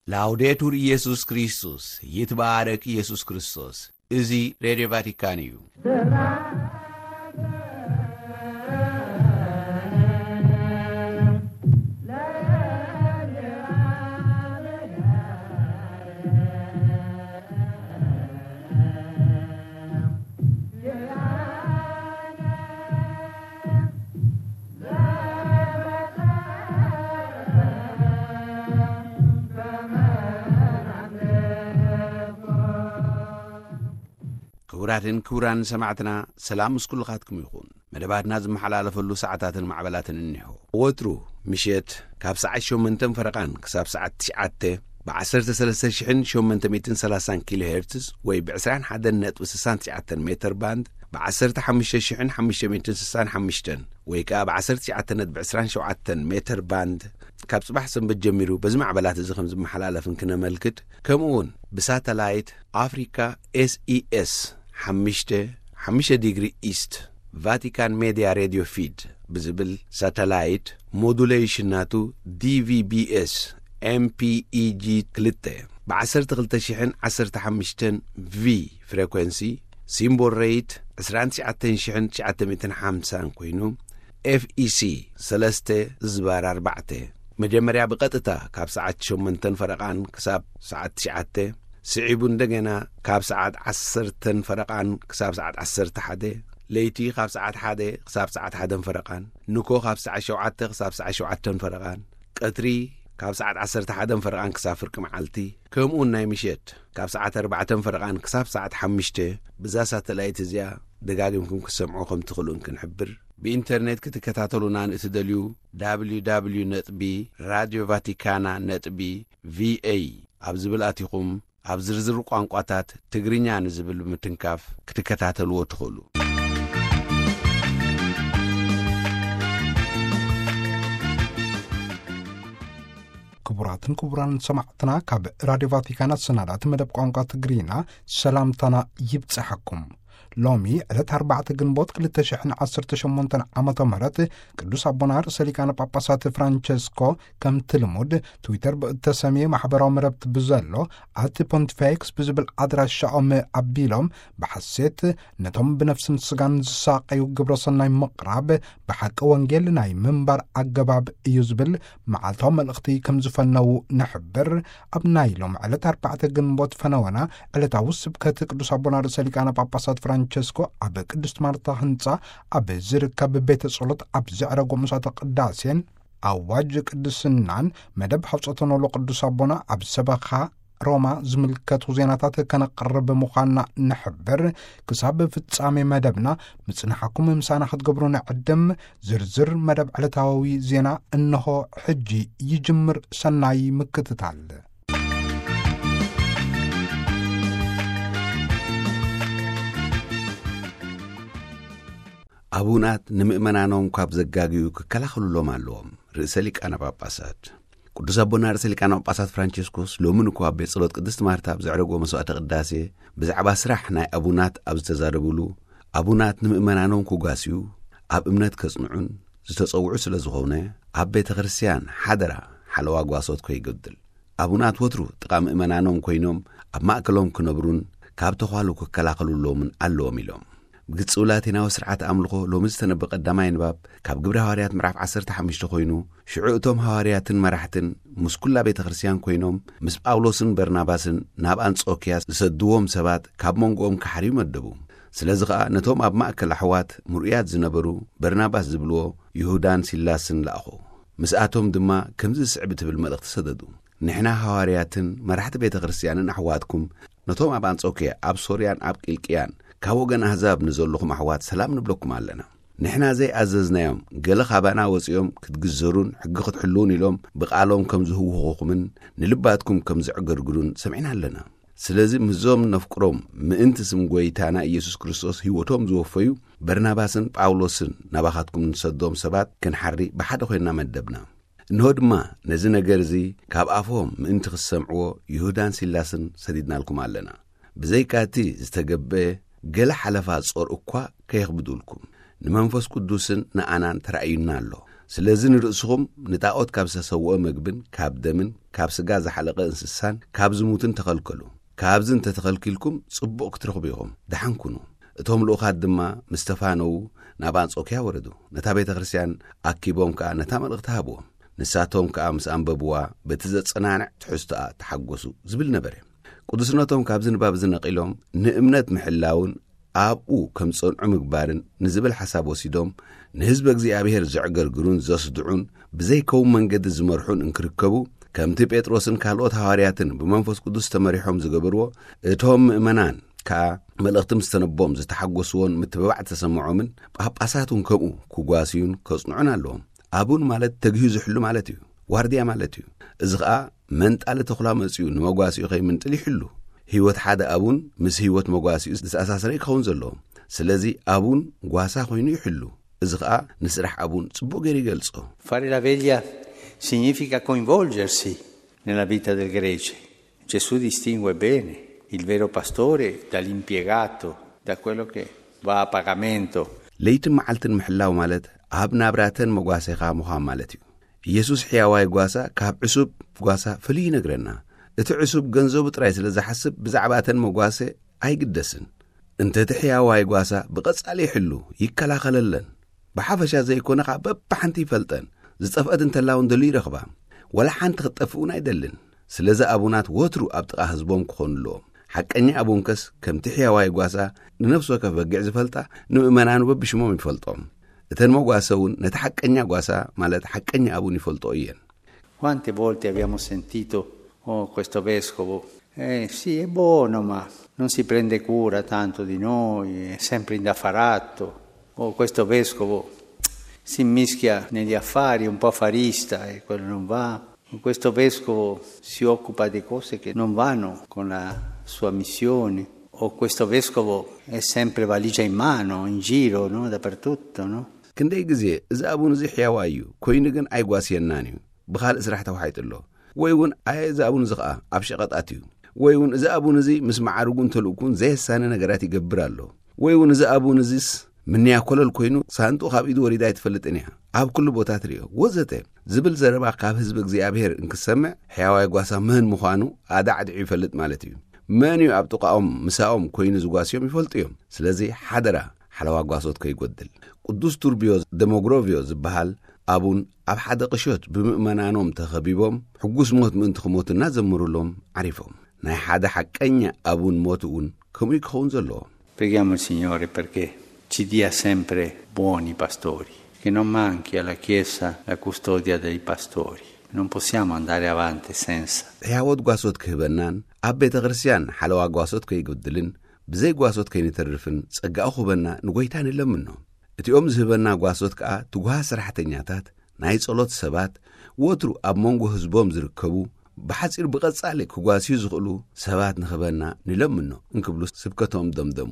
ላውዴቱር ኢየሱስ ክርስቶስ፣ ይትባረክ ኢየሱስ ክርስቶስ። እዚ ሬድዮ ቫቲካን እዩ። ክቡራትን ክቡራን ሰማዕትና፣ ሰላም ምስ ኩልኻትኩም ይኹን። መደባትና ዝመሓላለፈሉ ሰዓታትን ማዕበላትን እኒሆ። ወትሩ ምሸት ካብ ሰዓት ሸሞንተን ፈረቓን ክሳብ ሰዓት ትሽዓተ ብ ዓሰርተ ሰለስተ ሽሕን ሸሞንተ ሚእትን ሰላሳን ኪሎ ሄርትዝ ወይ ብ ዕስራን ሓደን ነጥቢ ስሳን ትሽዓተን ሜተር ባንድ፣ ብ ዓሰርተ ሓሙሽተ ሽሕን ሓሙሽተ ሚእትን ስሳን ሓሙሽተን ወይ ከኣ ብ ዓሰርተ ትሽዓተ ነጥቢ ዕስራን ሸውዓተን ሜተር ባንድ፣ ካብ ጽባሕ ሰንበት ጀሚሩ በዚ ማዕበላት እዚ ከም ዝመሓላለፍን ክነመልክት፣ ከምኡ እውን ብሳተላይት ኣፍሪካ ኤስኢኤስ ሓሙሽተ ሓሙሽተ ዲግሪ ኢስት ቫቲካን ሜድያ ሬድዮ ፊድ ብዝብል ሳተላይት፣ ሞዱሌሽን ናቱ ዲቪቢኤስ ኤምፒኢጂ ክልተ ብ ዓሰርተ ክልተ ሽሕን ዓሰርተ ሓሙሽተን ቪ ፍሬኮንሲ፣ ሲምቦል ሬት ዕስራን ትሽዓተን ሽሕን ትሽዓተ ሚእትን ሓምሳን ኮይኑ፣ ኤፍኢሲ ሰለስተ ዝባር ኣርባዕተ፣ መጀመርያ ብቐጥታ ካብ ሰዓት ሸሞንተን ፈረቓን ክሳብ ሰዓት ትሽዓተ፣ ስዒቡ እንደገና ካብ ሰዓት ዓሰርተን ፈረቓን ክሳብ ሰዓት ዓሰርተ ሓደ፣ ለይቲ ካብ ሰዓት ሓደ ክሳብ ሰዓት ሓደን ፈረቓን፣ ንኮ ካብ ሰዓት ሸውዓተ ክሳብ ሰዓት ሸውዓተን ፈረቓን፣ ቀትሪ ካብ ሰዓት ዓሰርተ ሓደን ፈረቓን ክሳብ ፍርቂ መዓልቲ፣ ከምኡውን ናይ ምሸት ካብ ሰዓት ኣርባዕተን ፈረቓን ክሳብ ሰዓት ሓሙሽተ ብዛ ሳተላይት እዚኣ ደጋጊምኩም ክትሰምዑ ከም ትኽእሉን ክንሕብር። ብኢንተርኔት ክትከታተሉና ንእትደልዩ፣ www ነጥቢ ራድዮ ቫቲካና ነጥቢ ቪኤ ኣብ ዝብል ኣቲኹም፣ ኣብ ዝርዝር ቋንቋታት ትግርኛ ንዝብል ብምትንካፍ ክትከታተልዎ ትኽእሉ። ክቡራትን ክቡራን ሰማዕትና፣ ካብ ራድዮ ቫቲካን ኣሰናዳእቲ መደብ ቋንቋ ትግርኛ ሰላምታና ይብጽሐኩም። ሎሚ ዕለት ኣርባዕተ ግንቦት ክልተ ሽሕን ዓሰርተ ሸሞንተን ዓመተ ምህረት ቅዱስ ኣቦና ርእሰ ሊቃነ ጳጳሳት ፍራንቸስኮ ከምቲ ልሙድ ትዊተር ብእተሰምየ ማሕበራዊ መረብቲ ብዘሎ ኣቲ ፖንቲፌክስ ብዝብል ኣድራሻኦም ኣቢሎም ብሓሴት ነቶም ብነፍስን ስጋን ዝሳቀዩ ግብረ ሰናይ ምቕራብ ብሓቂ ወንጌል ናይ ምንባር ኣገባብ እዩ ዝብል መዓልታዊ መልእኽቲ ከም ዝፈነዉ ንሕብር። ኣብ ናይ ሎም ዕለት ኣርባዕተ ግንቦት ፈነወና ዕለታዊ ስብከት ቅዱስ ኣቦና ርእሰ ሊቃነ ጳጳሳት ፍራንቸስኮ ኣብ ቅድስት ማርታ ህንጻ ኣብ ዝርከብ ቤተ ጸሎት ኣብ ዘዕረጎ መስዋዕተ ቅዳሴን ኣዋጅ ቅድስናን መደብ ሓውጸተ ኖሎ ቅዱስ ኣቦና ኣብ ሰበኻ ሮማ ዝምልከቱ ዜናታት ከነቕርብ ምዃንና ንሕብር። ክሳብ ፍጻሜ መደብና ምጽናሕኩም ምሳና ክትገብሩ ንዕድም። ዝርዝር መደብ ዕለታዊ ዜና እንሆ ሕጂ ይጅምር። ሰናይ ምክትታል። ኣቡናት ንምእመናኖም ካብ ዘጋግዩ ክከላኸሉሎም ኣለዎም። ርእሰ ሊቃነ ጳጳሳት ቅዱስ ኣቦና ርእሰ ሊቃነ ጳጳሳት ፍራንቸስኮስ ሎሚ ንኮ ኣብ ቤት ጸሎት ቅድስት ማርታ ኣብ ዘዕረጎ መስዋዕተ ቅዳሴ ብዛዕባ ስራሕ ናይ ኣቡናት ኣብ ዝተዛረቡሉ፣ ኣቡናት ንምእመናኖም ክጓስዩ፣ ኣብ እምነት ከጽንዑን ዝተጸውዑ ስለ ዝኾነ፣ ኣብ ቤተ ክርስቲያን ሓደራ ሓለዋ ጓሶት ከይጎድል፣ ኣቡናት ወትሩ ጥቓ ምእመናኖም ኮይኖም ኣብ ማእከሎም ክነብሩን ካብ ተዃሉ ክከላኸሉሎምን ኣለዎም ኢሎም። ብግጽው ላቲናዊ ስርዓት ኣምልኾ ሎሚ ዝተነበ ቀዳማይ ንባብ ካብ ግብረ ሃዋርያት ምዕራፍ ዓሰርተ ሓሙሽተ ኮይኑ፣ ሽዑ እቶም ሃዋርያትን መራሕትን ምስ ኩላ ቤተ ክርስቲያን ኮይኖም ምስ ጳውሎስን በርናባስን ናብ ኣንጾክያ ዝሰድዎም ሰባት ካብ መንጎኦም ክሓርዩ መደቡ። ስለዚ ኸኣ ነቶም ኣብ ማእከል ኣሕዋት ምርኡያት ዝነበሩ በርናባስ ዝብልዎ ይሁዳን ሲላስን ለኣኹ። ምስኣቶም ድማ ከምዚ ዝስዕብ እትብል መልእኽቲ ሰደዱ። ንሕና ሃዋርያትን መራሕቲ ቤተ ክርስቲያንን ኣሕዋትኩም ነቶም ኣብ ኣንጾክያ፣ ኣብ ሶርያን ኣብ ቂልቅያን ካብ ወገን ኣህዛብ ንዘለኹም ኣሕዋት ሰላም ንብለኩም ኣለና። ንሕና ዘይኣዘዝናዮም ገለ ካባና ወጺኦም ክትግዘሩን ሕጊ ክትሕልዉን ኢሎም ብቓሎም ከም ዝህውኹኹምን ንልባትኩም ከም ዘዕገርግሩን ሰሚዕና ኣለና። ስለዚ ምስዞም ነፍቅሮም ምእንቲ ስም ጐይታና ኢየሱስ ክርስቶስ ህይወቶም ዝወፈዩ በርናባስን ጳውሎስን ናባኻትኩም ንሰዶም ሰባት ክንሓሪ ብሓደ ኮይንና መደብና። እንሆ ድማ ነዚ ነገር እዚ ካብ ኣፎም ምእንቲ ክትሰምዕዎ ይሁዳን ሲላስን ሰዲድናልኩም ኣለና። ብዘይካ እቲ ዝተገብአ ገለ ሓለፋ ጾር እኳ ከየኽብዱልኩም፣ ንመንፈስ ቅዱስን ንኣናን ተራእዩና ኣሎ። ስለዚ ንርእስኹም ንጣዖት ካብ ዝተሰውኦ መግብን ካብ ደምን ካብ ስጋ ዝሓለቐ እንስሳን ካብ ዝሙትን ተኸልከሉ። ካብዚ እንተተኸልኪልኩም ጽቡቕ ክትረኽቡ ኢኹም። ደሓን ኩኑ። እቶም ልኡኻት ድማ ምስ ተፋነዉ ናብ ኣንጾክያ ወረዱ። ነታ ቤተ ክርስቲያን ኣኪቦም ከኣ ነታ መልእኽቲ ሃብዎም። ንሳቶም ከኣ ምስ ኣንበብዋ በቲ ዘጸናንዕ ትሕዝቶኣ ተሓጎሱ ዝብል ነበረ። ቅዱስነቶም ካብዚ ንባብ እዚ ነቒሎም ንእምነት ምሕላውን ኣብኡ ከም ዝጸንዑ ምግባርን ንዝብል ሓሳብ ወሲዶም ንህዝቢ እግዚኣብሔር ዘዕገርግሩን ዘስድዑን ብዘይከውን መንገዲ ዝመርሑን እንክርከቡ ከምቲ ጴጥሮስን ካልኦት ሃዋርያትን ብመንፈስ ቅዱስ ተመሪሖም ዝገበርዎ እቶም ምእመናን ከኣ መልእኽቲ ምስ ተነቦም ዝተሓጎስዎን ምትብባዕ ዝተሰምዖምን ጳጳሳት እውን ከምኡ ክጓስዩን ከጽንዑን ኣለዎም። ኣቡን ማለት ተግሂዩ ዝሕሉ ማለት እዩ። ዋርድያ ማለት እዩ። እዚ ኸኣ መንጣሊ ተኹላ መጺኡ ንመጓሲኡ ከይምንጥል ይሕሉ። ህይወት ሓደ ኣቡን ምስ ህይወት መጓሲኡ ዝተኣሳሰረ ክኸውን ዘለዎ። ስለዚ ኣቡን ጓሳ ኮይኑ ይሕሉ። እዚ ኸኣ ንስራሕ ኣቡን ጽቡቕ ገይሩ ይገልጾ። Fare la veglia significa coinvolgersi nella vita del Grece. Gesù distingue bene il vero pastore dall'impiegato, da quello che va a pagamento. ለይትን መዓልትን ምሕላው ማለት ኣብ ናብራተን መጓሴኻ ምዃን ማለት እዩ። ኢየሱስ ሕያዋይ ጓሳ ካብ ዕሱብ ጓሳ ፍልይ ይነግረና። እቲ ዕሱብ ገንዘቡ ጥራይ ስለ ዝሓስብ ብዛዕባ እተን መጓሰ ኣይግደስን። እንተ እቲ ሕያዋይ ጓሳ ብቐጻሊ ይሕሉ፣ ይከላኸለለን። ብሓፈሻ ዘይኮነ ኸዓ በብሓንቲ ይፈልጠን። ዝጠፍአት እንተላ እውን ደልዩ ይረኽባ። ወላ ሓንቲ ክትጠፍእ እውን ኣይደልን። ስለዚ ኣቡናት ወትሩ ኣብ ጥቓ ህዝቦም ክኾኑ ኣለዎም። ሓቀኛ ኣቡንከስ ከምቲ ሕያዋይ ጓሳ ንነፍሲ ወከፍ በጊዕ ዝፈልጣ ንምእመናኑ በብሽሞም ይፈልጦም። እተን መጓሰ እውን ነቲ ሓቀኛ ጓሳ ማለት ሓቀኛ ኣቡን ይፈልጦ እየን። Quante volte abbiamo sentito: "Oh, questo vescovo, eh, sì, è buono, ma non si prende cura tanto di noi, è sempre indaffaratto. Oh, questo vescovo si mischia negli affari, un po' affarista, e quello non va. Oh, questo vescovo si occupa di cose che non vanno con la sua missione. Oh, questo vescovo è sempre valigia in mano, in giro, no? Dappertutto, no?" ክንደይ ግዜ እዚ ኣቡን እዚ ሕያዋ እዩ፣ ኮይኑ ግን ኣይጓስየናን እዩ፣ ብኻልእ ስራሕ ተዋሒጡ ኣሎ። ወይ እውን ኣየ እዚ ኣቡን እዚ ኸዓ ኣብ ሸቐጣት እዩ። ወይ እውን እዚ ኣቡን እዚ ምስ መዓርጉን ተልእኩን ዘየሳነ ነገራት ይገብር ኣሎ። ወይ እውን እዚ ኣቡን እዚስ ምንያ ኮለል ኮይኑ ሳንጡ ካብ ኢዱ ወሪዳ ኣይትፈልጥን እያ። ኣብ ኩሉ ቦታ ትርእዮ ወዘተ ዝብል ዘረባ ካብ ህዝቢ እግዚኣብሔር እንክሰምዕ ሕያዋይ ጓሳ መን ምዃኑ ኣዳዕድዑ ይፈልጥ ማለት እዩ። መን እዩ ኣብ ጥቓኦም ምሳኦም ኮይኑ ዝጓስዮም ይፈልጡ እዮም። ስለዚ ሓደራ ሓለዋ ጓሶት ከይጎድል። ቅዱስ ቱርቢዮ ደሞግሮቪዮ ዝበሃል ኣቡን ኣብ ሓደ ቅሾት ብምእመናኖም ተኸቢቦም ሕጉስ ሞት ምእንቲ ክሞቱ እናዘምሩሎም ዓሪፎም። ናይ ሓደ ሓቀኛ ኣቡን ሞት እውን ከምኡ ክኸውን ዘለዎ። Preghiamo il Signore perché ci dia sempre buoni pastori, che non manchi alla Chiesa la custodia dei pastori. Non possiamo andare avanti senza. ሕያወት ጓሶት ክህበናን ኣብ ቤተ ክርስቲያን ሓለዋ ጓሶት ከይጎድልን ብዘይ ጓሶት ከይንተርፍን ጸጋኡ ክህበና ንጎይታ ንለምኖ። እቲኦም ዝህበና ጓሶት ከኣ ትጉሃት ሰራሕተኛታት ናይ ጸሎት ሰባት ወትሩ ኣብ መንጎ ህዝቦም ዝርከቡ ብሓጺር ብቐጻሊ ክጓስዩ ዝኽእሉ ሰባት ንኽበና ንለምኖ እንክብሉ ስብከቶም ደምደሙ።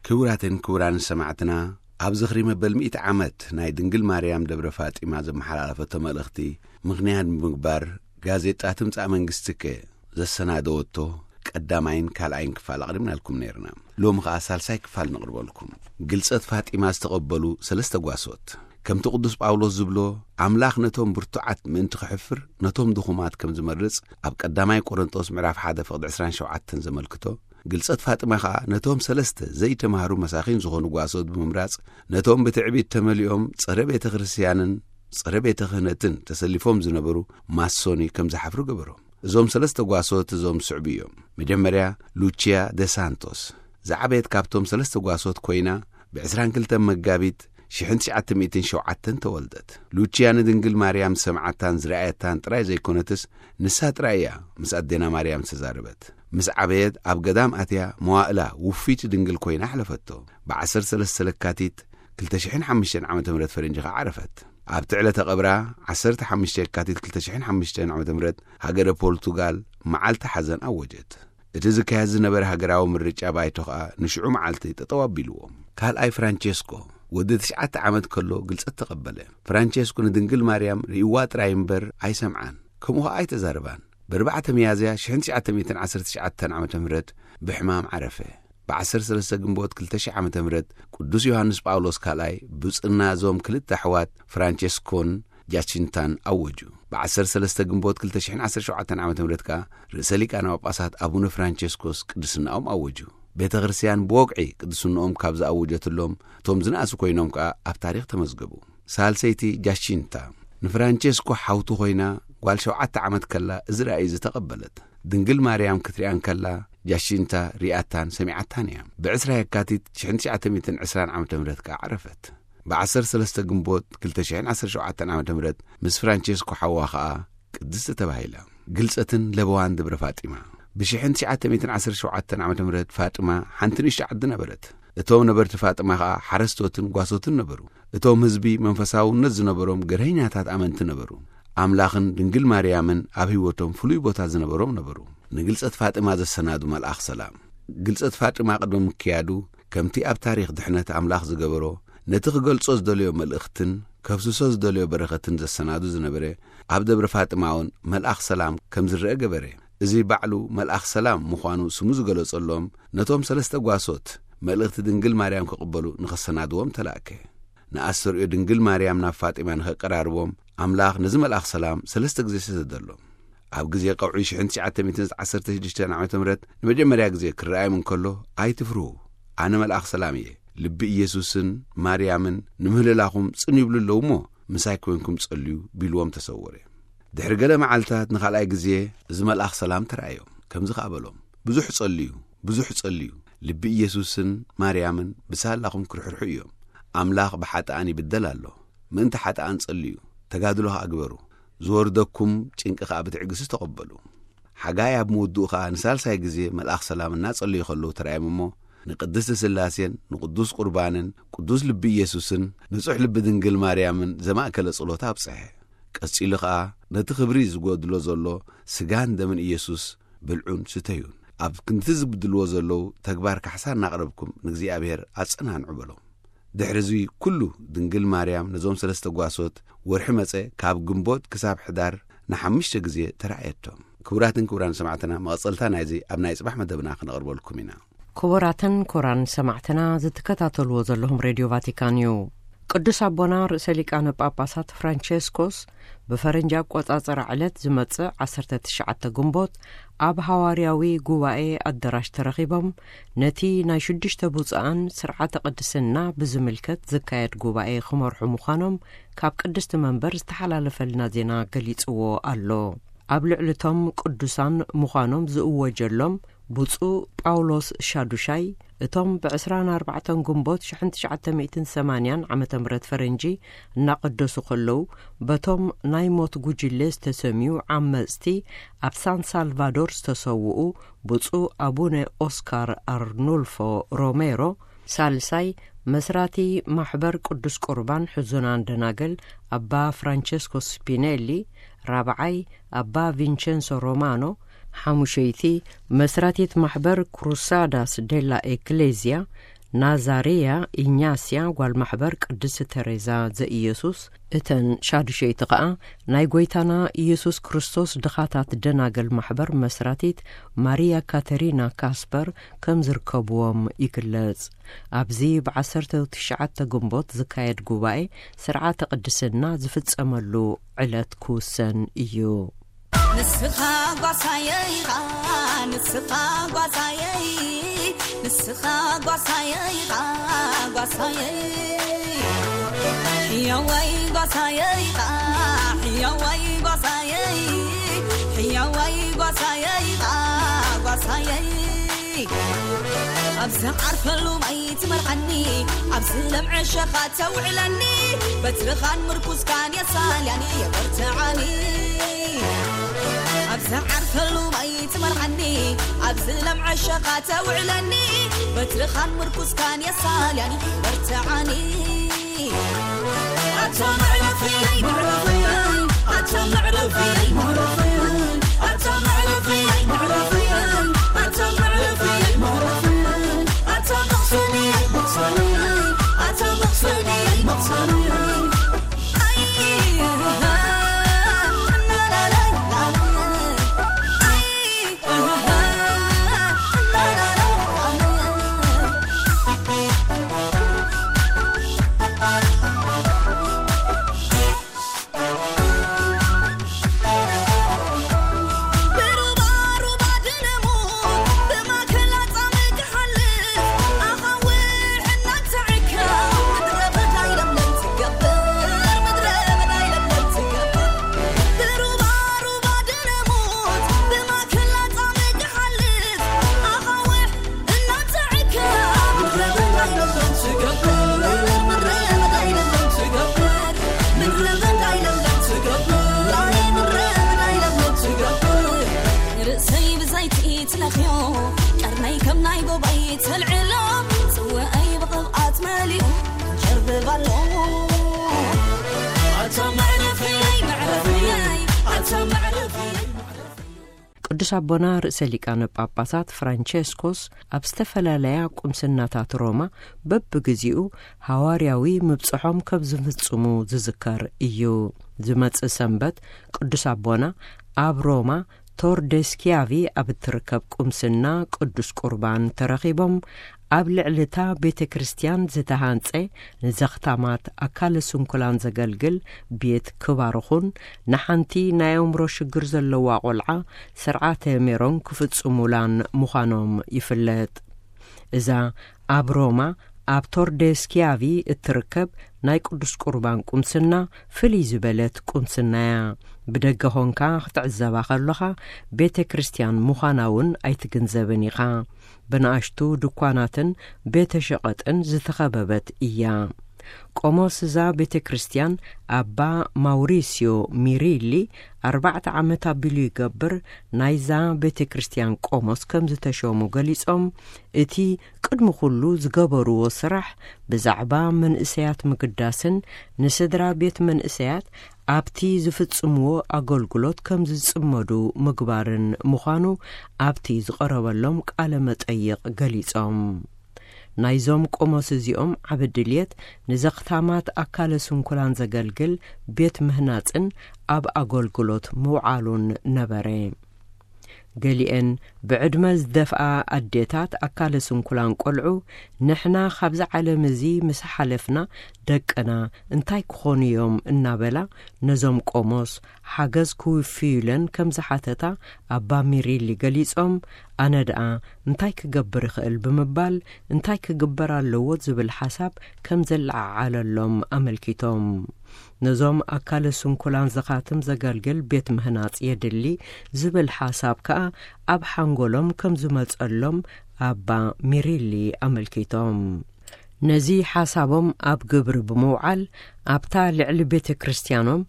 ክቡራትን ክቡራን ሰማዕትና፣ ኣብ ዝኽሪ መበል ሚእቲ ዓመት ናይ ድንግል ማርያም ደብረ ፋጢማ ዘመሓላለፈቶ መልእኽቲ ምኽንያት ብምግባር፣ ጋዜጣ ትምጻእ መንግስትከ ዘሰናደወቶ ቀዳማይን ካልኣይን ክፋል ኣቕሪብናልኩም ነይርና። ሎሚ ኸኣ ሳልሳይ ክፋል ነቕርበልኩም። ግልጸት ፋጢማ ዝተቐበሉ ሰለስተ ጓሶት። ከምቲ ቅዱስ ጳውሎስ ዝብሎ፣ ኣምላኽ ነቶም ብርቱዓት ምእንቲ ክሕፍር፣ ነቶም ድኹማት ከም ዝመርጽ ኣብ ቀዳማይ ቆሮንጦስ ምዕራፍ ሓደ ፍቕዲ ዕስራን ሸውዓተን ዘመልክቶ፣ ግልጸት ፋጢማ ኸኣ ነቶም ሰለስተ ዘይተማህሩ መሳኺን ዝኾኑ ጓሶት ብምምራጽ፣ ነቶም ብትዕቢት ተመሊኦም ጸረ ቤተ ክርስቲያንን ጸረ ቤተ ክህነትን ተሰሊፎም ዝነበሩ ማሶኒ ከም ዝሓፍሩ ገበሮም። እዞም ሰለስተ ጓሶት እዞም ዝስዕቡ እዮም። መጀመርያ፣ ሉቺያ ደ ሳንቶስ ዝዓበየት ካብቶም ሰለስተ ጓሶት ኮይና፣ ብ22 መጋቢት ሽሕን ትሽዓተ ሚእትን ሸውዓተን ተወልደት። ሉቺያ ንድንግል ማርያም ዝሰምዓታን ዝረኣየታን ጥራይ ዘይኮነትስ፣ ንሳ ጥራይ እያ ምስ ኣዴና ማርያም ዝተዛረበት። ምስ ዓበየት ኣብ ገዳም ኣትያ መዋእላ ውፊት ድንግል ኮይና ኣሕለፈቶ። ብ13 ለካቲት ክልተ ሽሕን ሓሙሽተን ዓመተ ምህረት ፈረንጂ ኸዓ ዓረፈት። ኣብቲ ዕለተ ቀብራ፣ ዓሰርተ ሓሙሽተ የካቲት ክልተ ሽሕን ሓሙሽተን ዓመተ ምህረት፣ ሃገረ ፖርቱጋል መዓልቲ ሓዘን ኣወጀት። እቲ ዝካየድ ዝነበረ ሃገራዊ ምርጫ ባይቶ ኸኣ ንሽዑ መዓልቲ ጠጠው ኣቢልዎ። ካልኣይ ፍራንቸስኮ ወዲ ትሽዓተ ዓመት ከሎ ግልጸት ተቐበለ። ፍራንቸስኮ ንድንግል ማርያም ርእይዋ ጥራይ እምበር ኣይሰምዓን፣ ከምኡ ኸኣ ኣይተዛረባን። ብ4 ሚያዝያ ሽሕን ትሽዓተ ሚእትን ዓሰርተ ትሽዓተን ዓመተ ምህረት ብሕማም ዓረፈ። ብ13 ግንቦት ክልተ ሽሕ ዓመተ ምህረት ቅዱስ ዮሃንስ ጳውሎስ ካልኣይ ብጽና እዞም ክልተ ኣሕዋት ፍራንቸስኮን ጃቺንታን ኣወጁ። ብ13 ግንቦት ክልተ ሽሕን ዓሰርተ ሸውዓተን ዓመተ ምህረት ከኣ ርእሰ ሊቃነ ጳጳሳት ኣቡነ ፍራንቸስኮስ ቅድስናኦም ኣወጁ። ቤተ ክርስቲያን ብወግዒ ቅድስናኦም ካብ ዝኣወጀትሎም እቶም ዝነኣሱ ኮይኖም ከኣ ኣብ ታሪኽ ተመዝገቡ። ሳልሰይቲ ጃቺንታ ንፍራንቸስኮ ሓውቲ ኮይና ጓል ሸውዓተ ዓመት ከላ እዚ ራእይ እዚ ተቐበለት። ድንግል ማርያም ክትሪኣን ከላ ጃቺንታ ሪኣታን ሰሚዓታን እያ። ብ20 የካቲት ሽሕን ትሽዓተ ሚእትን ዕስራን ዓመተ ምህረት ከኣ ዓረፈት። ብ13 ግንቦት ክልተ ሽሕን ዓሰርተ ሸውዓተን ዓመተ ምህረት ምስ ፍራንቸስኮ ሓዋ ከኣ ቅድስቲ ተባሂላ። ግልጸትን ለበዋን ደብረ ፋጢማ። ብ ሽሕን ትሽዓተ ሚእትን ዓሰርተ ሸውዓተን ዓመተ ምህረት ፋጥማ ሓንቲ ንእሽቶ ዓዲ ነበረት። እቶም ነበርቲ ፋጥማ ኸኣ ሓረስቶትን ጓሶትን ነበሩ። እቶም ህዝቢ መንፈሳውነት ዝነበሮም ገርሀኛታት ኣመንቲ ነበሩ። ኣምላኽን ድንግል ማርያምን ኣብ ህይወቶም ፍሉይ ቦታ ዝነበሮም ነበሩ። ንግልጸት ፋጥማ ዘሰናዱ መልኣኽ ሰላም። ግልጸት ፋጥማ ቅድሚ ምክያዱ፣ ከምቲ ኣብ ታሪኽ ድሕነት ኣምላኽ ዝገበሮ፣ ነቲ ክገልጾ ዝደለዮ መልእኽትን ከፍስሶ ዝደለዮ በረኸትን ዘሰናዱ ዝነበረ፣ ኣብ ደብረ ፋጥማ እውን መልኣኽ ሰላም ከም ዝረአ ገበረ። እዚ ባዕሉ መልኣኽ ሰላም ምዃኑ ስሙ ዝገለጸሎም፣ ነቶም ሰለስተ ጓሶት መልእኽቲ ድንግል ማርያም ክቕበሉ ንኸሰናድዎም ተላእከ። ንኣስተርእዮ ድንግል ማርያም ናብ ፋጢማ ንኸቀራርቦም፣ ኣምላኽ ነዚ መልኣኽ ሰላም ሰለስተ ግዜ ሰደደሎም። ኣብ ግዜ ቀውዒ ሽሕን ትሽዓተ ሚእትን ዓሰርተ ሽዱሽተን ዓመተ ምህረት ንመጀመርያ ግዜ ክረኣዮም እንከሎ፣ "ኣይትፍርሁ፣ ኣነ መልኣኽ ሰላም እየ። ልቢ ኢየሱስን ማርያምን ንምህልላኹም ጽን ይብሉ ኣለዉ እሞ፣ ምሳይ ኮይንኩም ጸልዩ" ቢልዎም ተሰወረ። ድሕሪ ገለ መዓልታት ንኻልኣይ ግዜ እዚ መልኣኽ ሰላም ተራእዮም። ከምዚ ኸኣ በሎም፣ "ብዙሕ ጸልዩ፣ ብዙሕ ጸልዩ። ልቢ ኢየሱስን ማርያምን ብሳላኹም ክርሕርሑ እዮም። ኣምላኽ ብሓጥኣን ይብደል ኣሎ። ምእንቲ ሓጥኣን ጸልዩ፣ ተጋድሎ ኸኣ ግበሩ። ዝወርደኩም ጭንቂ ኸኣ ብትዕግስቲ ተቐበሉ።" ሓጋይ ኣብ ምውድኡ ኸኣ ንሳልሳይ ግዜ መልኣኽ ሰላም እናጸለዩ ኸለዉ ተራእዮም እሞ፣ ንቅድስቲ ስላሴን ንቅዱስ ቁርባንን ቅዱስ ልቢ ኢየሱስን ንጹሕ ልቢ ድንግል ማርያምን ዘማእከለ ጸሎት ኣብጽሐ። ቀጺሉ ኸኣ ነቲ ክብሪ ዝጎድሎ ዘሎ ስጋን ደምን ኢየሱስ ብልዑን ስተዩን፣ ኣብ ክንዲ ዝብድልዎ ዘለዉ ተግባር ካሕሳ እናቕረብኩም ንእግዚኣብሔር ኣጸናንዑ በሎም። ድሕሪ እዚ ኩሉ ድንግል ማርያም ነዞም ሰለስተ ጓሶት ወርሒ መጸ ካብ ግንቦት ክሳብ ሕዳር ንሓሙሽተ ግዜ ተራእየቶም። ክቡራትን ክቡራን ሰማዕትና፣ መቐጸልታ ናይዚ ኣብ ናይ ጽባሕ መደብና ክነቕርበልኩም ኢና። ክቡራትን ክቡራን ሰማዕትና፣ ዝትከታተልዎ ዘለኹም ሬድዮ ቫቲካን እዩ። ቅዱስ ኣቦና ርእሰ ሊቃነ ጳጳሳት ፍራንቸስኮስ ብፈረንጂ ኣቆጻጽራ ዕለት ዝመጽእ ዓሰርተ ትሽዓተ ግንቦት ኣብ ሃዋርያዊ ጉባኤ ኣደራሽ ተረኺቦም ነቲ ናይ ሽዱሽተ ብፁዓን ስርዓተ ቅድስና ብዝምልከት ዝካየድ ጉባኤ ክመርሑ ምዃኖም ካብ ቅድስቲ መንበር ዝተሓላለፈልና ዜና ገሊጽዎ ኣሎ። ኣብ ልዕሊ እቶም ቅዱሳን ምዃኖም ዝእወጀሎም ብፁዕ ጳውሎስ ሻዱሻይ፣ እቶም ብ24 ግንቦት ሽሕን ትሽዓተ ሚእትን ሰማንያን ዓመተ ምህረት ፈረንጂ እናቐደሱ ከለዉ፣ በቶም ናይ ሞት ጉጅለ ዝተሰምዩ ዓመጽቲ ኣብ ሳን ሳልቫዶር ዝተሰውኡ ብፁዕ ኣቡነ ኦስካር ኣርኑልፎ ሮሜሮ፣ ሳልሳይ መስራቲ ማሕበር ቅዱስ ቁርባን ሕዙናን ደናግል ኣባ ፍራንቸስኮ ስፒኔሊ፣ ራብዓይ ኣባ ቪንቸንሶ ሮማኖ፣ ሓሙሸይቲ መስራቲት ማሕበር ክሩሳዳስ ዴላ ኤክሌዝያ ናዛሬያ ኢኛስያ ጓል ማሕበር ቅድስቲ ተሬዛ ዘኢየሱስ፣ እተን ሻዱሸይቲ ኸኣ ናይ ጐይታና ኢየሱስ ክርስቶስ ድኻታት ደናግል ማሕበር መስራቲት ማርያ ካተሪና ካስፐር ከም ዝርከብዎም ይግለጽ። ኣብዚ ብ19 ግንቦት ዝካየድ ጉባኤ ስርዓተ ቅድስና ዝፍጸመሉ ዕለት ክውሰን እዩ። ንስኻ ጓሳየይ ኢኻ፣ ንስኻ ጓሳየይ፣ ንስኻ ጓሳየይ ኢኻ፣ ጓሳየይ። ሕያዋይ ጓሳየይ ኢኻ፣ ሕያዋይ ጓሳየይ፣ ሕያ ኣዋይ ጓሳየይ፣ ኣ፣ ጓሳየይ፣ ኣብ ዝዓርፈሉ ማይ ትመርዓኒ፣ ኣብ ዝለምዐ ሸኻ ተውዕለኒ፣ በትርኻን ምርኩስካን የሳልያኒ፣ የበርትዓኒ። ኣብ ዝዓርፈሉ ማይ ትመርዓኒ፣ ኣብ ዝለምዐ ሸኻ ተውዕለኒ፣ በትርኻን ምርኩስካን የሳልያኒ፣ የበርትዓኒ። ኣታ መዕረፈይ፣ መዕረፈይ፣ ኣታ መዕረፈይ፣ መዕረፈይ፣ ኣታ መዕረፈይ፣ መዕረፈይ፣ ኣታ መዕረፈይ፣ መዕረፈይ፣ ኣታ መቕሰኒ፣ መቕሰኒ፣ ኣታ መቕሰኒ፣ መቕሰኒ። ኣይ፣ ላላላይ፣ ላላላይ፣ ኣይ። ርእሰይ ብዘይቲ ትለኽዮ፣ ቀርነይ ከም ናይ ጎባይ ተልዕሎ፣ ጽውዐይ ብቕብኣት መሊኡ ጀርብብ ኣሎ። ኣታ መዕረፈይ፣ መዕረፈይ፣ ኣታ መዕረፈይ። ቅዱስ ኣቦና ርእሰ ሊቃነ ጳጳሳት ፍራንቸስኮስ ኣብ ዝተፈላለያ ቁምስናታት ሮማ በብግዜኡ ሃዋርያዊ ምብጽሖም ከም ዝፍጽሙ ዝዝከር እዩ። ዝመጽእ ሰንበት ቅዱስ ኣቦና ኣብ ሮማ ቶርደስኪያቪ ኣብ እትርከብ ቁምስና ቅዱስ ቁርባን ተረኺቦም ኣብ ልዕሊ እታ ቤተ ክርስቲያን ዝተሃንጸ ንዘኽታማት ኣካለ ስንኩላን ዘገልግል ቤት ክባርኹን ንሓንቲ ናይ ኣእምሮ ሽግር ዘለዋ ቆልዓ ስርዓተ ሜሮን ክፍጽሙላን ምዃኖም ይፍለጥ። እዛ ኣብ ሮማ ኣብ ቶርደስኪያቪ እትርከብ ናይ ቅዱስ ቁርባን ቁምስና ፍልይ ዝበለት ቁምስና እያ። ብደገ ኾንካ ክትዕዘባ ከለኻ ቤተ ክርስቲያን ምዃና እውን ኣይትግንዘብን ኢኻ። ብንኣሽቱ ድኳናትን ቤተ ሸቐጥን ዝተኸበበት እያ። ቆሞስ እዛ ቤተ ክርስቲያን ኣባ ማውሪስዮ ሚሪሊ ኣርባዕተ ዓመት ኣቢሉ ይገብር ናይዛ ቤተ ክርስቲያን ቆሞስ ከም ዝተሾሙ ገሊጾም፣ እቲ ቅድሚ ኩሉ ዝገበርዎ ስራሕ ብዛዕባ መንእሰያት ምግዳስን ንስድራ ቤት መንእሰያት ኣብቲ ዝፍጽምዎ ኣገልግሎት ከም ዝጽመዱ ምግባርን ምዃኑ ኣብቲ ዝቐረበሎም ቃለ መጠይቕ ገሊጾም። ናይዞም ቆሞስ እዚኦም ዓቢ ድልየት ንዘኽታማት ኣካለ ስንኩላን ዘገልግል ቤት ምህናጽን ኣብ ኣገልግሎት ምውዓሉን ነበረ። ገሊኤን ብዕድመ ዝደፍኣ ኣዴታት ኣካለ ስንኩላን ቆልዑ፣ ንሕና ካብዚ ዓለም እዚ ምስ ሓለፍና ደቅና እንታይ ክኾኑ እዮም እናበላ ነዞም ቆሞስ ሓገዝ ክውፍዩለን ከም ዝሓተታ ኣባ ሚሪሊ ገሊጾም፣ ኣነ ደኣ እንታይ ክገብር ይኽእል ብምባል እንታይ ክግበር ኣለዎ ዝብል ሓሳብ ከም ዘለዓዓለሎም ኣመልኪቶም። ነዞም ኣካለ ስንኩላን ዘኻትም ዘገልግል ቤት ምህናጽ የድሊ ዝብል ሓሳብ ከኣ ኣብ ሓንጎሎም ከም ዝመጸሎም ኣባ ሚሪሊ ኣመልኪቶም። ነዚ ሓሳቦም ኣብ ግብሪ ብምውዓል ኣብታ ልዕሊ ቤተ ክርስቲያኖም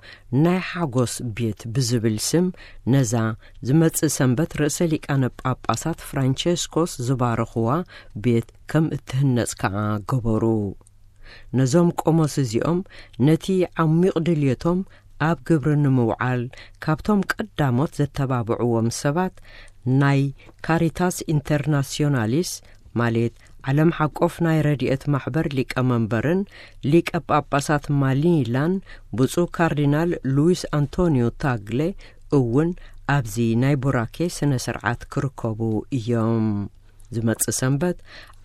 ናይ ሓጎስ ቤት ብዝብል ስም ነዛ ዝመጽእ ሰንበት ርእሰ ሊቃነ ጳጳሳት ፍራንቸስኮስ ዝባረኽዋ ቤት ከም እትህነጽ ከኣ ገበሩ። ነዞም ቆሞስ እዚኦም ነቲ ዓሚቕ ድልየቶም ኣብ ግብሪ ንምውዓል ካብቶም ቀዳሞት ዘተባብዕዎም ሰባት ናይ ካሪታስ ኢንተርናሲዮናሊስ ማለት ዓለም ሓቆፍ ናይ ረድኤት ማሕበር ሊቀመንበርን ሊቀ ጳጳሳት ማሊላን ብፁዕ ካርዲናል ሉዊስ ኣንቶኒዮ ታግለ እውን ኣብዚ ናይ ቡራኬ ስነ ስርዓት ክርከቡ እዮም። ዝመጽእ ሰንበት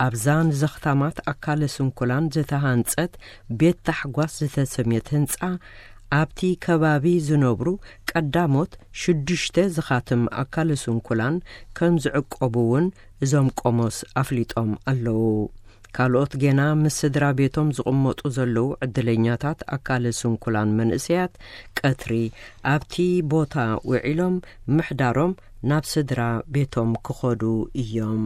ኣብዛ ንዘኽታማት ኣካለ ስንኩላን ዝተሃንጸት ቤት ታሕጓስ ዝተሰምየት ህንጻ ኣብቲ ከባቢ ዝነብሩ ቀዳሞት ሽዱሽተ ዝኻትም ኣካለ ስንኩላን ከም ዝዕቆቡ እውን እዞም ቆሞስ ኣፍሊጦም ኣለዉ። ካልኦት ጌና ምስ ስድራ ቤቶም ዝቕመጡ ዘለዉ ዕድለኛታት ኣካለ ስንኩላን መንእሰያት ቀትሪ ኣብቲ ቦታ ውዒሎም ምሕዳሮም ናብ ስድራ ቤቶም ክኸዱ እዮም።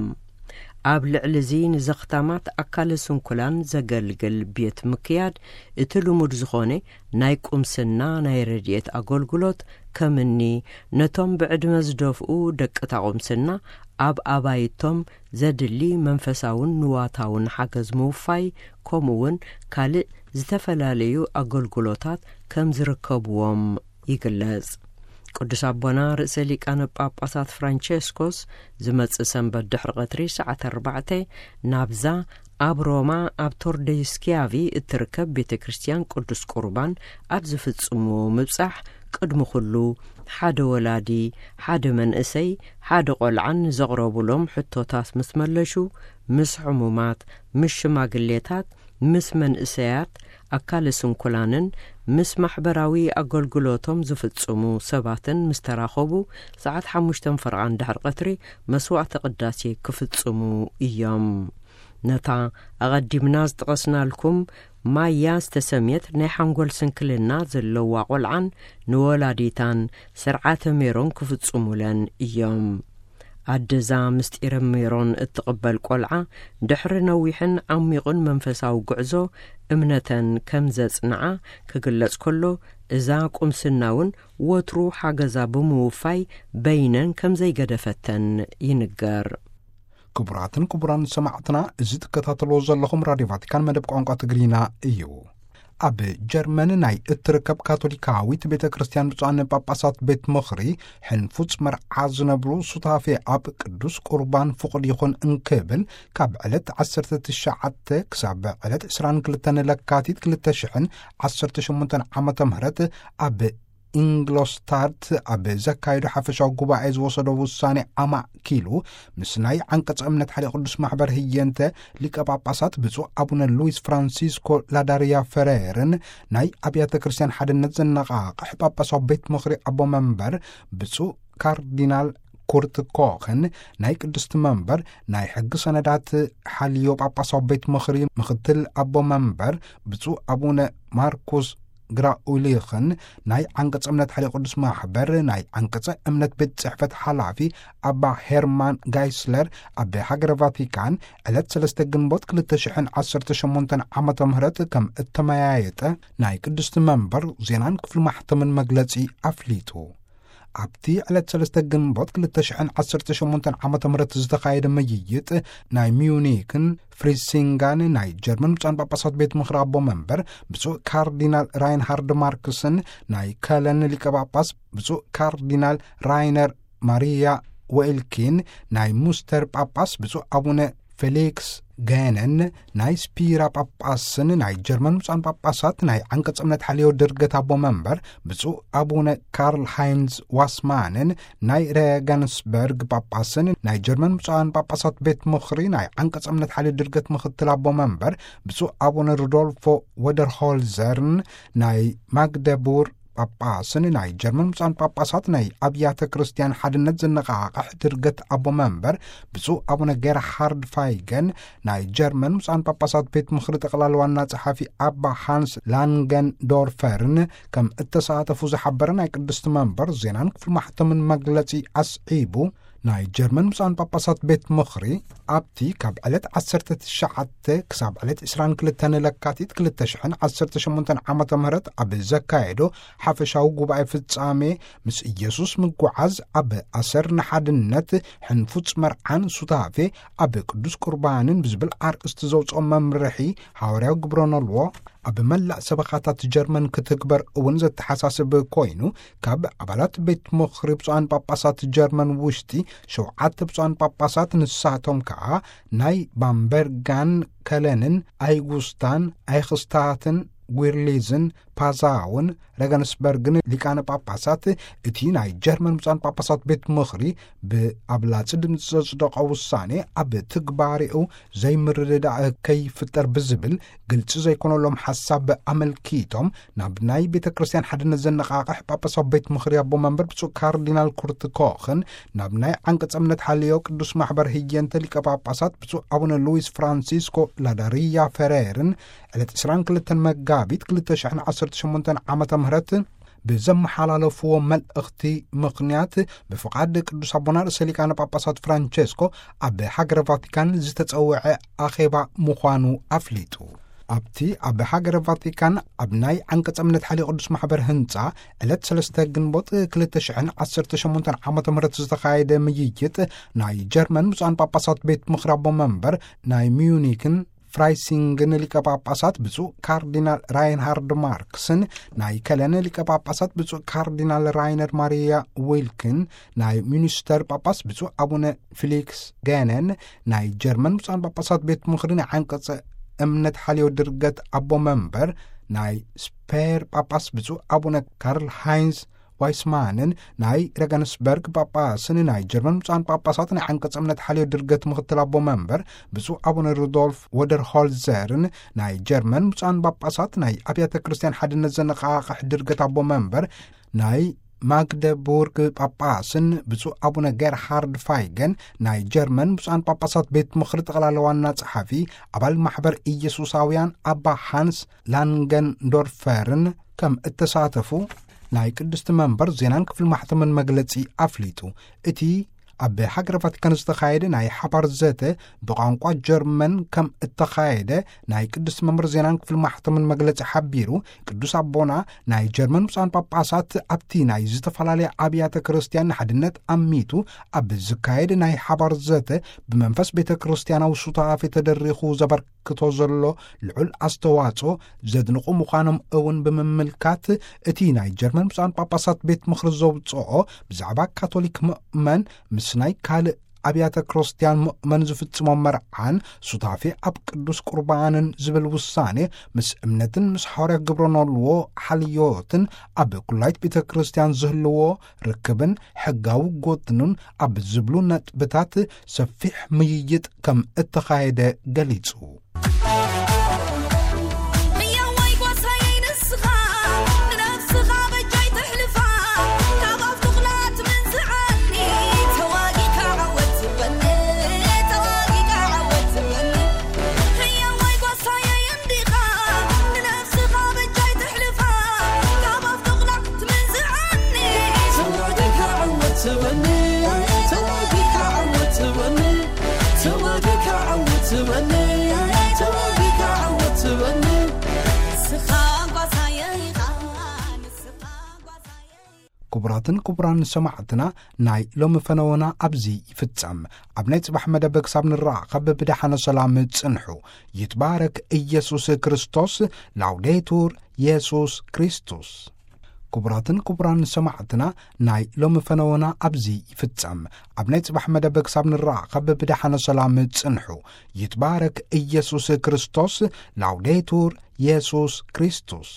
ኣብ ልዕሊ እዚ ንዘኽታማት ኣካለ ስንኩላን ዘገልግል ቤት ምክያድ እቲ ልሙድ ዝኾነ ናይ ቁምስና ናይ ረድኤት ኣገልግሎት ከምኒ ነቶም ብዕድመ ዝደፍኡ ደቅታ ቁምስና ኣብ ኣባይቶም ዘድሊ መንፈሳውን ንዋታውን ሓገዝ ምውፋይ፣ ከምኡ እውን ካልእ ዝተፈላለዩ ኣገልግሎታት ከም ዝርከብዎም ይግለጽ። ቅዱስ ኣቦና ርእሰ ሊቃነ ጳጳሳት ፍራንቸስኮስ ዝመጽእ ሰንበት ድሕሪ ቀትሪ ሰዓት ኣርባዕተ ናብዛ ኣብ ሮማ ኣብ ቶርደይ ስኪያቪ እትርከብ ቤተ ክርስቲያን ቅዱስ ቁርባን ኣብ ዝፍጽምዎ ምብጻሕ፣ ቅድሚ ኩሉ ሓደ ወላዲ፣ ሓደ መንእሰይ፣ ሓደ ቆልዓን ንዘቕረቡሎም ሕቶታት ምስ መለሹ፣ ምስ ሕሙማት፣ ምስ ሽማግሌታት፣ ምስ መንእሰያት፣ ኣካለ ስንኩላንን ምስ ማሕበራዊ ኣገልግሎቶም ዝፍጽሙ ሰባትን ምስ ተራኸቡ፣ ሰዓት ሓሙሽተ ፈርቓን ድሕሪ ቀትሪ መስዋዕተ ቅዳሴ ክፍጽሙ እዮም። ነታ ኣቐዲምና ዝጠቐስናልኩም ማያ ዝተሰምየት ናይ ሓንጎል ስንክልና ዘለዋ ቆልዓን ንወላዲታን ስርዓተ ሜሮን ክፍጽሙለን እዮም። ኣደዛ ምስጢረ ሜሮን እትቕበል ቆልዓ፣ ድሕሪ ነዊሕን ዓሚቑን መንፈሳዊ ጉዕዞ እምነተን ከም ዘጽንዓ ክግለጽ ከሎ፣ እዛ ቁምስና እውን ወትሩ ሓገዛ ብምውፋይ በይነን ከም ዘይገደፈተን ይንገር። ክቡራትን ክቡራን ሰማዕትና፣ እዚ ትከታተልዎ ዘለኹም ራድዮ ቫቲካን መደብ ቋንቋ ትግርኛ እዩ። ኣብ ጀርመን ናይ እትርከብ ካቶሊካዊት ቤተ ክርስቲያን ብፁዓን ጳጳሳት ቤት ምኽሪ፣ ሕንፉጽ መርዓ ዝነብሩ ሱታፌ ኣብ ቅዱስ ቁርባን ፍቑድ ይኹን እንክብል፣ ካብ ዕለት ዓሰርተ ትሽዓተ ክሳብ ዕለት ዕስራን ክልተን ለካቲት ክልተ ሽሕን ዓሰርተ ሸሞንተን ዓመተ ምህረት ኣብ ኢንግሎስታድት ኣብ ዘካየዶ ሓፈሻዊ ጉባኤ ዝወሰዶ ውሳኔ ኣማእኪሉ፣ ምስ ናይ ዓንቀጸ እምነት ሓደ ቅዱስ ማሕበር ህየንተ ሊቀ ጳጳሳት ብፁዕ ኣቡነ ሉዊስ ፍራንሲስኮ ላዳርያ ፈሬርን ናይ ኣብያተ ክርስቲያን ሓድነት ዘነቓቕሕ ጳጳሳዊ ቤት ምኽሪ ኣቦ መንበር ብፁዕ ካርዲናል ኩርት ኮኽን፣ ናይ ቅድስቲ መንበር ናይ ሕጊ ሰነዳት ሓልዮ ጳጳሳዊ ቤት ምኽሪ ምኽትል ኣቦ መንበር ብፁዕ ኣቡነ ማርኩስ ግራኡሊኽን፣ ናይ ዓንቀጸ እምነት ሓልዮ ቅዱስ ማሕበር ናይ ዓንቀጸ እምነት ቤት ጽሕፈት ሓላፊ ኣባ ሄርማን ጋይስለር፣ ኣብ ሃገረ ቫቲካን ዕለት ሰለስተ ግንቦት ክልተ ሽሕን ዓሰርተ ሸሞንተን ዓመተ ምህረት ከም እተመያየጠ ናይ ቅድስቲ መንበር ዜናን ክፍሊ ማሕተምን መግለጺ ኣፍሊጡ። ኣብቲ ዕለት ሰለስተ ግንቦት ክልተ ሽሕን ዓሰርተ ሸሞንተን ዓመተ ምህረት ዝተኻየደ ምይይጥ፣ ናይ ሚዩኒክን ፍሪሲንጋን ናይ ጀርመን ብፁዓን ጳጳሳት ቤት ምኽሪ ኣቦ መንበር ብፁዕ ካርዲናል ራይንሃርድ ማርክስን፣ ናይ ከለን ሊቀ ጳጳስ ብፁዕ ካርዲናል ራይነር ማሪያ ወኤልኪን፣ ናይ ሙስተር ጳጳስ ብፁዕ ኣቡነ ፌሊክስ ገነን፣ ናይ ስፒራ ጳጳስን ናይ ጀርመን ብፁዓን ጳጳሳት ናይ ዓንቀጸ እምነት ሓልዮ ድርገት ኣቦ መንበር ብፁዕ ኣቡነ ካርል ሃይንዝ ዋስማንን፣ ናይ ሬገንስበርግ ጳጳስን ናይ ጀርመን ብፁዓን ጳጳሳት ቤት ምኽሪ ናይ ዓንቀጸ እምነት ሓልዮ ድርገት ምኽትል ኣቦ መንበር ብፁዕ ኣቡነ ሩዶልፎ ወደርሆልዘርን፣ ናይ ማግደቡር ጳጳስን ናይ ጀርመን ብፁዓን ጳጳሳት ናይ ኣብያተ ክርስቲያን ሓድነት ዘነቓቕሕ ድርገት ኣቦ መንበር ብፁዕ ኣቡነ ጌርሃርድ ፋይገን፣ ናይ ጀርመን ብፁዓን ጳጳሳት ቤት ምኽሪ ጠቕላሊ ዋና ጸሓፊ ኣባ ሃንስ ላንገንዶርፈርን ከም እተሳተፉ ዝሓበረ ናይ ቅድስቲ መንበር ዜናን ክፍሊ ማሕተምን መግለጺ ኣስዒቡ፣ ናይ ጀርመን ብፁዓን ጳጳሳት ቤት ምኽሪ ኣብቲ ካብ ዕለት ዓሰርተ ትሽዓተ ክሳብ ዕለት ዕስራን ክልተን ለካቲት ክልተ ሽሕን ዓሰርተ ሸሞንተን ዓመተ ምህረት ኣብ ዘካየዶ ሓፈሻዊ ጉባኤ ፍጻሜ፣ ምስ ኢየሱስ ምጉዓዝ ኣብ ኣሰር ንሓድነት፣ ሕንፉጽ መርዓን ሱታፌ ኣብ ቅዱስ ቁርባንን ብዝብል ኣርእስቲ ዘውጽኦ መምርሒ ሓዋርያዊ ግብረ ኖልዎ ኣብ መላእ ሰበኻታት ጀርመን ክትግበር እውን ዘተሓሳስብ ኮይኑ፣ ካብ ኣባላት ቤት ምኽሪ ብፁዓን ጳጳሳት ጀርመን ውሽጢ ሸውዓተ ብፁዓን ጳጳሳት፣ ንሳቶም ከኣ ናይ ባምበርጋን፣ ከለንን፣ ኣይጉስታን፣ ኣይኽስታትን፣ ዊርሊዝን ፓዛውን ረገንስበርግን ሊቃነ ጳጳሳት፣ እቲ ናይ ጀርመን ብፁዓን ጳጳሳት ቤት ምኽሪ ብኣብላጺ ድምፂ ዘጽደቐ ውሳኔ ኣብ ትግባሬኡ ዘይምርድዳእ ከይፍጠር ብዝብል ግልፂ ዘይኮነሎም ሓሳብ ኣመልኪቶም፣ ናብ ናይ ቤተ ክርስቲያን ሓድነት ዘነቓቕሕ ጳጳሳዊ ቤት ምኽሪ ኣቦ መንበር ብፁዕ ካርዲናል ኩርት ኮኽን፣ ናብ ናይ ዓንቀጸ እምነት ሓልዮ ቅዱስ ማሕበር ህየንተ ሊቀ ጳጳሳት ብፁዕ ኣቡነ ሉዊስ ፍራንሲስኮ ላዳሪያ ፈሬርን ዕለት ዕስራን ክልተን መጋቢት ክልተ ሽሕን ዓሰርተ ሸሞንተን ዓመተ ምህረት ብዘመሓላለፍዎ መልእኽቲ ምኽንያት፣ ብፍቓድ ቅዱስ ኣቦና ርእሰ ሊቃነ ጳጳሳት ፍራንቸስኮ ኣብ ሃገረ ቫቲካን ዝተጸውዐ ኣኼባ ምዃኑ ኣፍሊጡ። ኣብቲ ኣብ ሃገረ ቫቲካን ኣብ ናይ ዓንቀጸ እምነት ሓልዮ ቅዱስ ማሕበር ህንጻ ዕለት ሰለስተ ግንቦት ክልተ ሽሕን ዓሰርተ ሸሞንተን ዓመተ ምህረት ዝተኻየደ ምይይጥ፣ ናይ ጀርመን ብፁዓን ጳጳሳት ቤት ምኽሪ ኣቦ መንበር፣ ናይ ሚዩኒክን ፍራይሲንግን ሊቀ ጳጳሳት ብፁዕ ካርዲናል ራይንሃርድ ማርክስን፣ ናይ ከለን ሊቀ ጳጳሳት ብፁዕ ካርዲናል ራይነር ማሪያ ዊልክን፣ ናይ ሚኒስተር ጳጳስ ብፁዕ ኣቡነ ፊሊክስ ገነን፣ ናይ ጀርመን ብፁዓን ጳጳሳት ቤት ምኽሪ ናይ ዓንቀጸ እምነት ሓልዮ ድርገት ኣቦ መንበር፣ ናይ ስፔር ጳጳስ ብፁዕ ኣቡነ ካርል ሃይንዝ ዋይስማንን፣ ናይ ረገንስበርግ ጳጳስን፣ ናይ ጀርመን ብፁዓን ጳጳሳት ናይ ዓንቀጸ እምነት ሓልዮ ድርገት ምኽትል ኣቦ መንበር ብፁዕ ኣቡነ ሩዶልፍ ወደርሆልዘርን፣ ናይ ጀርመን ብፁዓን ጳጳሳት ናይ ኣብያተ ክርስቲያን ሓድነት ዘነቓቕሕ ድርገት ኣቦ መንበር፣ ናይ ማግደቡርግ ጳጳስን ብፁዕ ኣቡነ ጌርሃርድ ፋይገን፣ ናይ ጀርመን ብፁዓን ጳጳሳት ቤት ምኽሪ ጠቕላላ ዋና ጸሓፊ፣ ኣባል ማሕበር ኢየሱሳውያን ኣባ ሃንስ ላንገንዶርፈርን ከም እተሳተፉ ናይ ቅድስቲ መንበር ዜናን ክፍሊ ማሕተምን መግለጺ ኣፍሊጡ። እቲ ኣብ ሃገረ ቫቲካን ዝተኻየደ ናይ ሓባር ዘተ ብቋንቋ ጀርመን ከም እተኻየደ ናይ ቅድስቲ መንበር ዜናን ክፍሊ ማሕተምን መግለጺ ሓቢሩ፣ ቅዱስ ኣቦና ናይ ጀርመን ብፁዓን ጳጳሳት ኣብቲ ናይ ዝተፈላለያ ኣብያተ ክርስቲያን ንሓድነት ኣሚቱ ኣብ ዝካየድ ናይ ሓባር ዘተ ብመንፈስ ቤተ ክርስቲያናዊ ሱታፌ ተደሪኹ ዘበርክቶ ዘሎ ልዑል ኣስተዋጽኦ ዘድንቑ ምዃኖም እውን ብምምልካት፣ እቲ ናይ ጀርመን ብፁዓን ጳጳሳት ቤት ምኽሪ ዘውጽኦ ብዛዕባ ካቶሊክ ምእመን ምስ ናይ ካልእ ኣብያተ ክርስቲያን ምእመን ዝፍጽሞ መርዓን ሱታፌ ኣብ ቅዱስ ቁርባንን ዝብል ውሳኔ፣ ምስ እምነትን ምስ ሓዋርያ ግብረ ኖልዎ ሓልዮትን ኣብ ኩላይት ቤተ ክርስቲያን ዝህልዎ ርክብን ሕጋዊ ጎድኑን ኣብ ዝብሉ ነጥብታት ሰፊሕ ምይይጥ ከም እተኻየደ ገሊጹ። ህያዋይ ጓሳየይ ንስኻ፣ ንነፍስኻ በጃይ ተሕልፋ፣ ካብ ኣፍ ተኹላ ትምንዝዓኒ፣ ተዋጊእካ ዓወት ዝበኒ፣ ተዋጊእካ ዓወት ዝበኒ። ህያዋይ ጓሳየይ እንዲኻ፣ ንነፍስኻ በጃይ ተሕልፋ፣ ካብ ኣፍ ተኹላ ትምንዝዓኒ፣ ተዋጊእካ ዓወት ዝበኒ፣ ተዋጊእካ ዓወት ዝበኒ። ተዋጊእካ ዓወት ትበኒ፣ ተዋጊእካ ዓወት ትበኒ። ንስኻ ጓሳየ ኢኻ፣ ንስኻ ጓሳየ። ክቡራትን ክቡራን ሰማዕትና፣ ናይ ሎሚ ፈነወና ኣብዚ ይፍጸም። ኣብ ናይ ጽባሕ መደብ ክሳብ ንራኸብ ብደሓነ ሰላም ጽንሑ። ይትባረክ ኢየሱስ ክርስቶስ። ላውዴቱር ኢየሱስ ክርስቶስ። ክቡራትን ክቡራን ሰማዕትና፣ ናይ ሎሚ ፈነወና ኣብዚ ይፍጸም። ኣብ ናይ ጽባሕ መደብ ክሳብ ንራኸብ ብደሓነ ሰላም ጽንሑ። ይትባረክ ኢየሱስ ክርስቶስ። ላውዴቱር ኢየሱስ ክርስቶስ።